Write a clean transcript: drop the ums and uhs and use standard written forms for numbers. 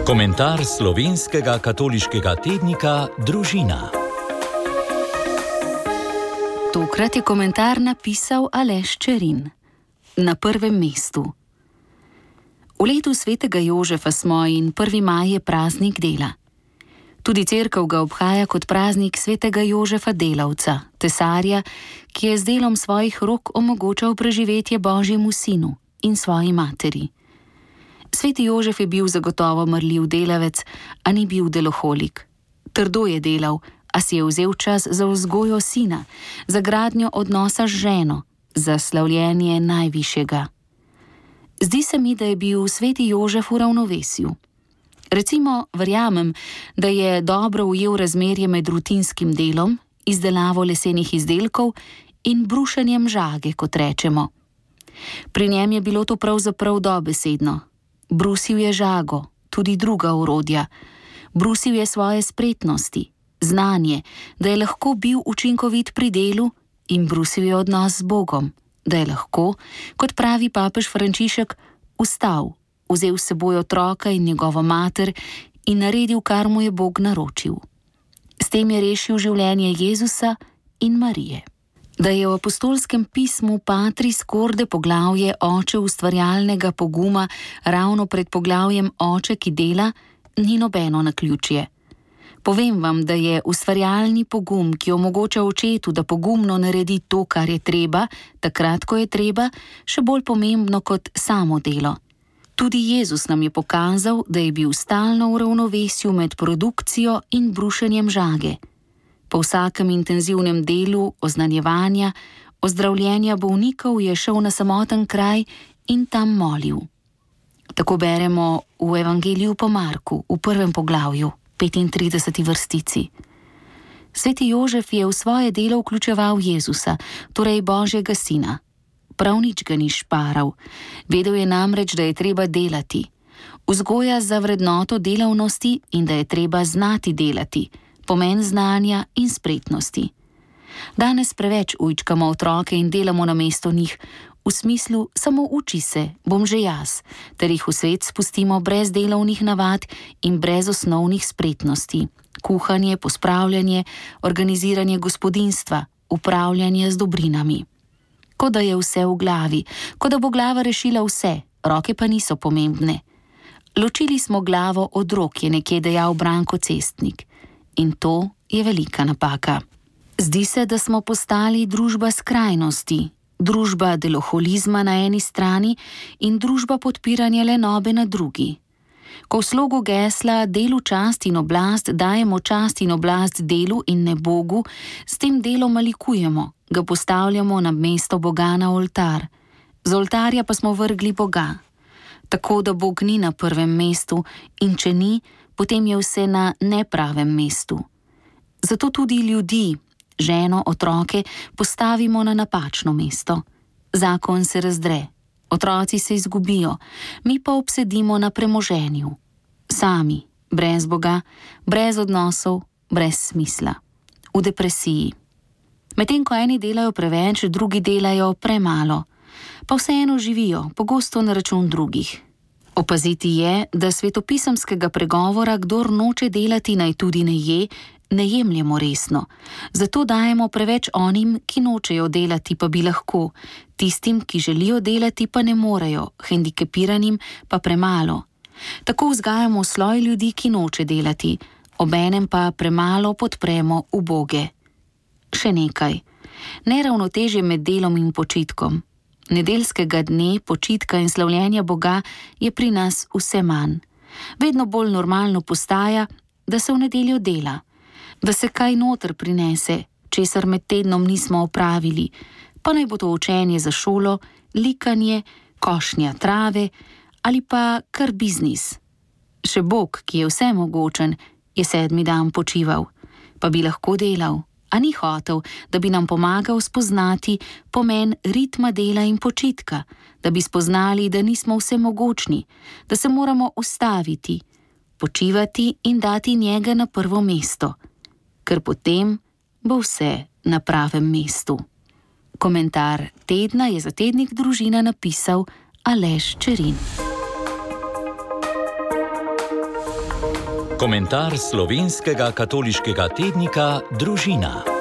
Komentar slovenskega katoliškega tednika Družina. Tokrat je komentar napisal Aleš Čerin. Na prvem mestu. V letu svetega Jožefa smo in 1. maj je praznik dela. Tudi cerkev ga obhaja kot praznik svetega Jožefa delavca, tesarja, ki je z delom svojih rok omogočal preživetje Božjemu sinu in svoji materi. Sveti Jožef je bil zagotovo marljiv delavec, a ni bil deloholik. Trdo je delal, a si je vzel čas za vzgojo sina, za gradnjo odnosa z ženo, za slavljenje najvišjega. Zdi se mi, da je bil sveti Jožef v ravnovesju. Recimo, verjamem, da je dobro ujel razmerje med rutinskim delom, izdelavo lesenih izdelkov in brušenjem žage, kot rečemo. Pri njem je bilo to pravzaprav dobesedno. Brusil je žago, tudi druga orodja. Brusil je svoje spretnosti, znanje, da je lahko bil učinkovit pri delu, in brusil je odnos z Bogom, da je lahko, kot pravi papež Frančišek, vstal, vzel s seboj otroka in njegovo mater in naredil, kar mu je Bog naročil. S tem je rešil življenje Jezusa in Marije. Da je v apostolskem pismu Patris Corde poglavje Oče ustvarjalnega poguma ravno pred poglavjem Oče, ki dela, ni nobeno naključje. Povem vam, da je ustvarjalni pogum, ki omogoča očetu, da pogumno naredi to, kar je treba, takrat, ko je treba, še bolj pomembno kot samo delo. Tudi Jezus nam je pokazal, da je bil stalno v ravnovesju med produkcijo in brušenjem žage. Po vsakem intenzivnem delu oznanjevanja, ozdravljenja bolnikov je šel na samoten kraj in tam molil. Tako beremo v Evangeliju po Marku, v 1. poglavju, 35. vrstici. Sveti Jožef je v svoje delo vključeval Jezusa, torej Božjega sina. Prav nič ga ni šparal. Vedel je namreč, da je treba delati. Vzgoja za vrednoto delavnosti in da je treba znati delati. Pomen znanja in spretnosti. Danes preveč ujčkamo otroke in delamo namesto njih, v smislu samo uči se, bom že jaz, ter jih v svet spustimo brez delovnih navad in brez osnovnih spretnosti. Kuhanje, pospravljanje, organiziranje gospodinjstva, upravljanje z dobrinami. Kot da je vse v glavi, kot da bo glava rešila vse, roke pa niso pomembne. Ločili smo glavo od rok, je nekje dejal Branko Cestnik. In to je velika napaka. Zdi se, da smo postali družba skrajnosti, družba deloholizma na eni strani in družba podpiranja lenobe na drugi. Ko v slogu gesla delu čast in oblast dajemo čast in oblast delu in ne Bogu, s tem delom malikujemo, ga postavljamo na mesto Boga na oltar. Z oltarja pa smo vrgli Boga. Tako da Bog ni na prvem mestu in če ni, potem je vse na nepravem mestu. Zato tudi ljudi, ženo, otroke, postavimo na napačno mesto. Zakon se razdre, otroci se izgubijo, mi pa obsedimo na premoženju. Sami, brez Boga, brez odnosov, brez smisla. V depresiji. Medtem ko eni delajo preveč, drugi delajo premalo, pa vseeno živijo, pogosto na račun drugih. Opaziti je, da svetopisemskega pregovora, kdor noče delati, naj tudi ne je, ne jemljemo resno. Zato dajemo preveč onim, ki nočejo delati, pa bi lahko, tistim, ki želijo delati, pa ne morejo, hendikepiranim pa premalo. Tako vzgajamo sloj ljudi, ki noče delati, obenem pa premalo podpremo uboge. Še nekaj. Neravnotežje med delom in počitkom. Nedeljskega dne, počitka in slavljenja Boga je pri nas vse manj. Vedno bolj normalno postaja, da se v nedeljo dela, da se kaj noter prinese, česar med tednom nismo opravili, pa naj bo to učenje za šolo, likanje, košnja trave ali pa kar biznis. Še Bog, ki je vsemogočen, je 7. dan počival, pa bi lahko delal. A ni hotel, da bi nam pomagal spoznati pomen ritma dela in počitka, da bi spoznali, da nismo vsemogočni, da se moramo ustaviti, počivati in dati njega na prvo mesto, ker potem bo vse na pravem mestu. Komentar tedna je za tednik Družina napisal Aleš Čerin. Komentar slovenskega katoliškega tednika Družina.